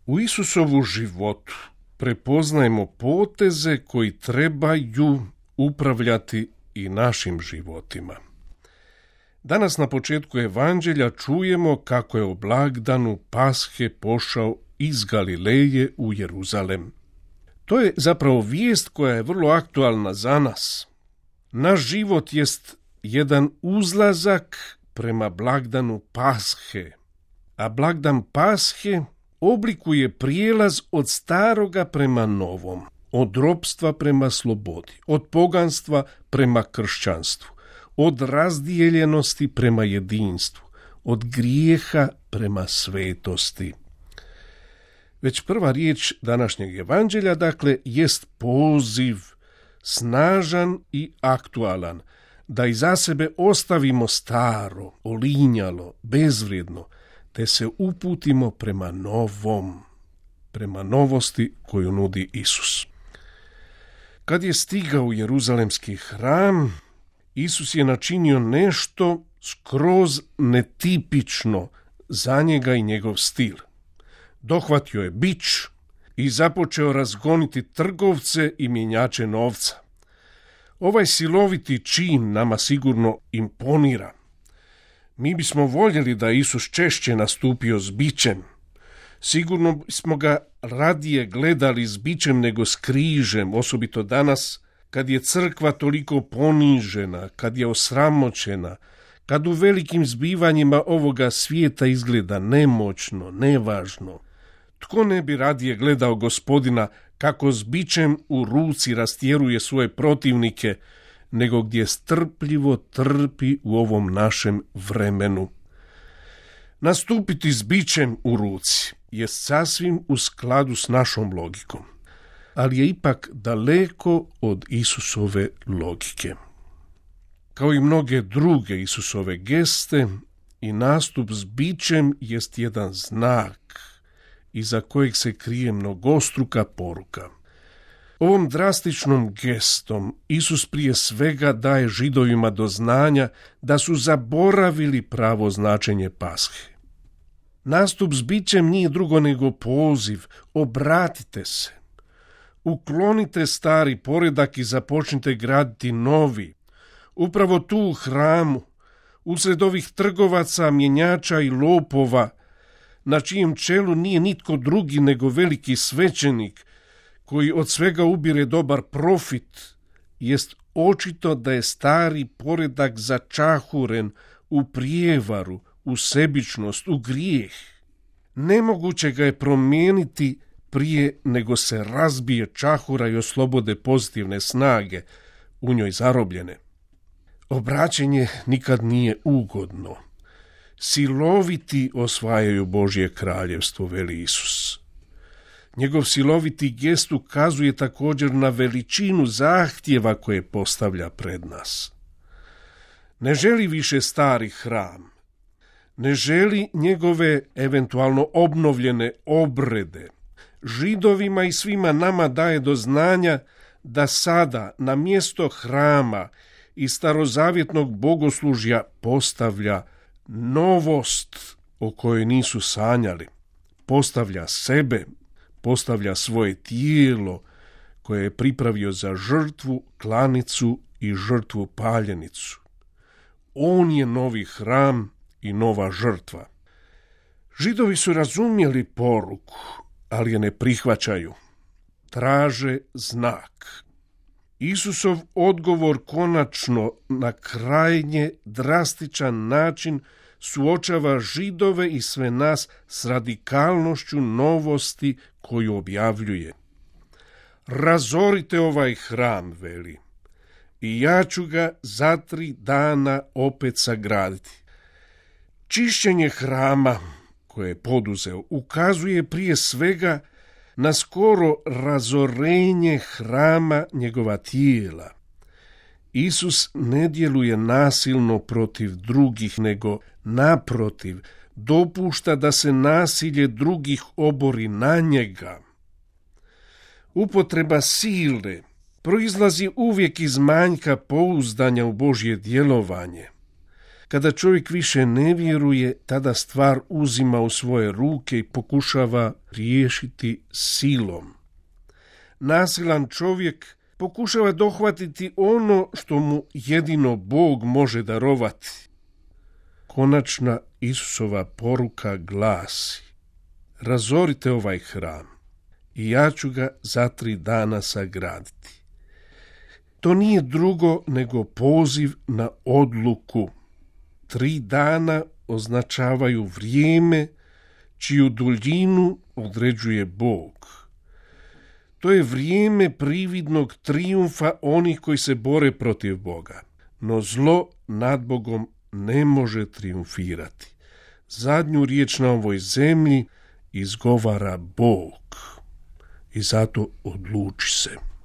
U Isusovu životu prepoznajemo poteze koji trebaju upravljati i našim životima. Danas na početku evanđelja čujemo kako je o blagdanu Pashe pošao iz Galileje u Jeruzalem. To je zapravo vijest koja je vrlo aktualna za nas. Naš život jest jedan uzlazak prema blagdanu Pashe, a blagdan Pashe oblikuje prijelaz od staroga prema novom, od ropstva prema slobodi, od poganstva prema kršćanstvu, od razdijeljenosti prema jedinstvu, od grijeha prema svetosti. Već prva riječ današnjeg evanđelja, dakle, jest poziv, snažan i aktualan, da iza sebe ostavimo staro, olinjalo, bezvrijedno, te se uputimo prema novom, prema novosti koju nudi Isus. Kad je stigao u Jeruzalemski hram, Isus je načinio nešto skroz netipično za njega i njegov stil. Dohvatio je bič i započeo razgoniti trgovce i mjenjače novca. Ovaj siloviti čin nama sigurno imponira. Mi bismo voljeli da Isus češće nastupio s bičem. Sigurno smo ga radije gledali s bičem nego s križem, osobito danas kad je crkva toliko ponižena, kad je osramoćena, kad u velikim zbivanjima ovoga svijeta izgleda nemoćno, nevažno. Tko ne bi radije gledao Gospodina kako s bičem u ruci rastjeruje svoje protivnike, nego gdje strpljivo trpi u ovom našem vremenu. Nastupiti s bičem u ruci je sasvim u skladu s našom logikom, ali je ipak daleko od Isusove logike. Kao i mnoge druge Isusove geste, i nastup s bičem jest jedan znak iza kojeg se krije mnogostruka poruka. Ovom drastičnom gestom Isus prije svega daje Židovima do znanja da su zaboravili pravo značenje Pashe. Nastup s bičem nije drugo nego poziv, obratite se. Uklonite stari poredak i započnite graditi novi. Upravo tu u hramu, usred ovih trgovaca, mjenjača i lopova, na čijem čelu nije nitko drugi nego veliki svećenik, koji od svega ubire dobar profit, jest očito da je stari poredak začahuren u prijevaru, u sebičnost, u grijeh. Nemoguće ga je promijeniti prije nego se razbije čahura i oslobode pozitivne snage u njoj zarobljene. Obraćenje nikad nije ugodno. Siloviti osvajaju Božje kraljevstvo, veli Isus. Njegov siloviti gest ukazuje također na veličinu zahtjeva koje postavlja pred nas. Ne želi više stari hram, ne želi njegove eventualno obnovljene obrede. Židovima i svima nama daje do znanja da sada na mjesto hrama i starozavjetnog bogoslužja postavlja novost o kojoj nisu sanjali. Postavlja sebe, postavlja svoje tijelo koje je pripravio za žrtvu, klanicu i žrtvu paljenicu. On je novi hram i nova žrtva. Židovi su razumjeli poruku, ali je ne prihvaćaju. Traže znak. Isusov odgovor konačno na krajnje drastičan način suočava Židove i sve nas s radikalnošću novosti koju objavljuje. Razorite ovaj hram, veli, i ja ću ga za 3 dana opet sagraditi. Čišćenje hrama koje je poduzeo ukazuje prije svega na skoro razorenje hrama njegova tijela. Isus ne djeluje nasilno protiv drugih, nego naprotiv, dopušta da se nasilje drugih obori na njega. Upotreba sile proizlazi uvijek iz manjka pouzdanja u Božje djelovanje. Kada čovjek više ne vjeruje, tada stvar uzima u svoje ruke i pokušava riješiti silom. Nasilan čovjek pokušava dohvatiti ono što mu jedino Bog može darovati. Konačna Isusova poruka glasi: razorite ovaj hram i ja ću ga za 3 dana sagraditi. To nije drugo nego poziv na odluku. 3 dana označavaju vrijeme čiju duljinu određuje Bog. To je vrijeme prividnog trijumfa onih koji se bore protiv Boga. No zlo nad Bogom ne može trijumfirati. Zadnju riječ na ovoj zemlji izgovara Bog. I zato odluči se.